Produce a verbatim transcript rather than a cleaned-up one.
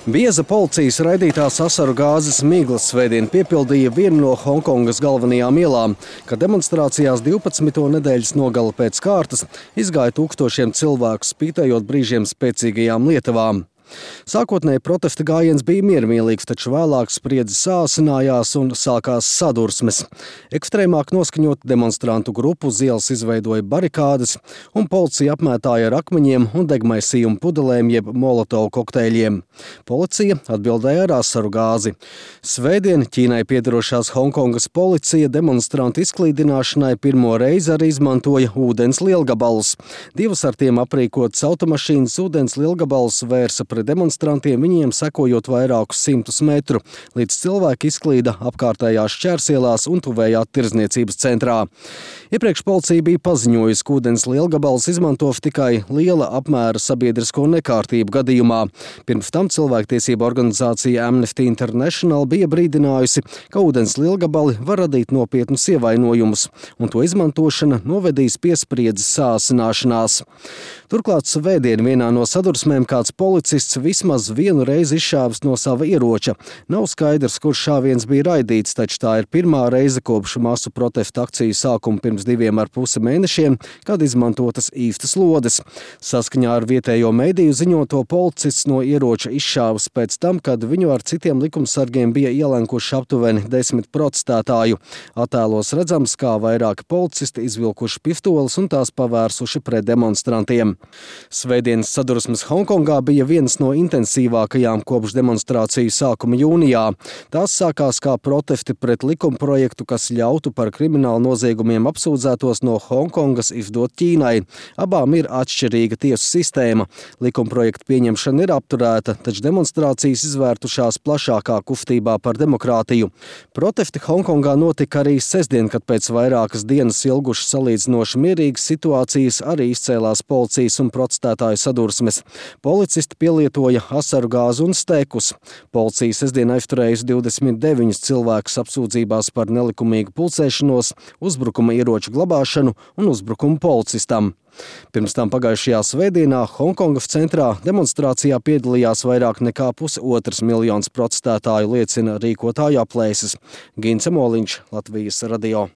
Bieza policijas raidītās asaru gāzes miglas svētdien piepildīja vienu no Honkongas galvenajām ielām, kad demonstrācijās divpadsmito nedēļas nogali pēc kārtas izgāja tūkstošiem cilvēku, spītējot brīžiem spēcīgajām lietavām. Sākotnēji protesta gājiens bija miermīlīgs, taču vēlāk spriedze sāsinājās un sākās sadursmes. Ekstrēmāk noskaņot demonstrantu grupu uz ielas izveidoja barikādes, un policija apmētāja ar akmeņiem un degmaisījumu pudelēm jeb molotovu kokteļiem. Policija atbildēja ar asaru gāzi. Svētdien Ķīnai piederošās Honkongas policija demonstrantu izklīdināšanai pirmo reizi arī izmantoja ūdens lielgabalus. Divas ar tiem aprīkotas automašīnas ūdens lielgabalus vērsa pret demonstrantiem, viņiem sekojot vairākus simtus metru, līdz cilvēki izklīda apkārtējās šķērsielās un tuvējā tirdzniecības centrā. Iepriekš policija bija paziņojusi, ka ūdens lielgabalus izmantos tikai liela apmēra sabiedrisko nekārtību gadījumā. Pirms tam cilvēktiesība organizācija Amnesty International bija brīdinājusi, ka ūdens lielgabali var radīt nopietnus ievainojumus, un to izmantošana novedīs pie spriedzes sāsināšanās. Turklāt svētdien vienā no sadursmēm kāds policists vismaz vienu reizi izšāvis no sava ieroča. Nav skaidrs, kurš šāviens bija raidīts, taču tā ir pirmā reize kopš masu protestu akciju sākuma pirms diviem ar pusi mēnešiem, kad izmantotas īstas lodes. Saskaņā ar vietējo mediju ziņoto policists no ieroča izšāvis pēc tam, kad viņu ar citiem likumsargiem bija ielenkuši aptuveni desmit protestētāju. Attēlos redzams, kā vairāki policisti izvilkuši pistoles un tās pavērsuši pret demonstrantiem. Svētdienas sadursmes Honkongā bija viens no intensīvākajām kopš demonstrāciju sākuma jūnijā. Tās sākās kā protesti pret likumprojektu, kas ļautu par kriminālu noziegumiem apsūdzētos no Honkongas izdot Ķīnai. Abām ir atšķirīga tiesu sistēma. Likumprojekta pieņemšana ir apturēta, taču demonstrācijas izvērtušās plašākā kustībā par demokrātiju. Protesti Honkongā notika arī sestdien, kad pēc vairākas dienas ilgušas salīdzinoši mierīgas situācijas arī izcēlās policijas un protestētāju sadursmes. Policisti pielietoja asaru gāzi un stekus. Policija sestdien aizturējusi divdesmit deviņus cilvēkus apsūdzībās par nelikumīgu pulcēšanos, uzbrukuma ieroču glabāšanu un uzbrukumu policistam. Pirms tam pagājušajā svētdienā Honkongas centrā demonstrācijā piedalījās vairāk nekā pusotrs miljons protestētāju, liecina rīkotāju aplēses. Gince Moliņš, Latvijas radio.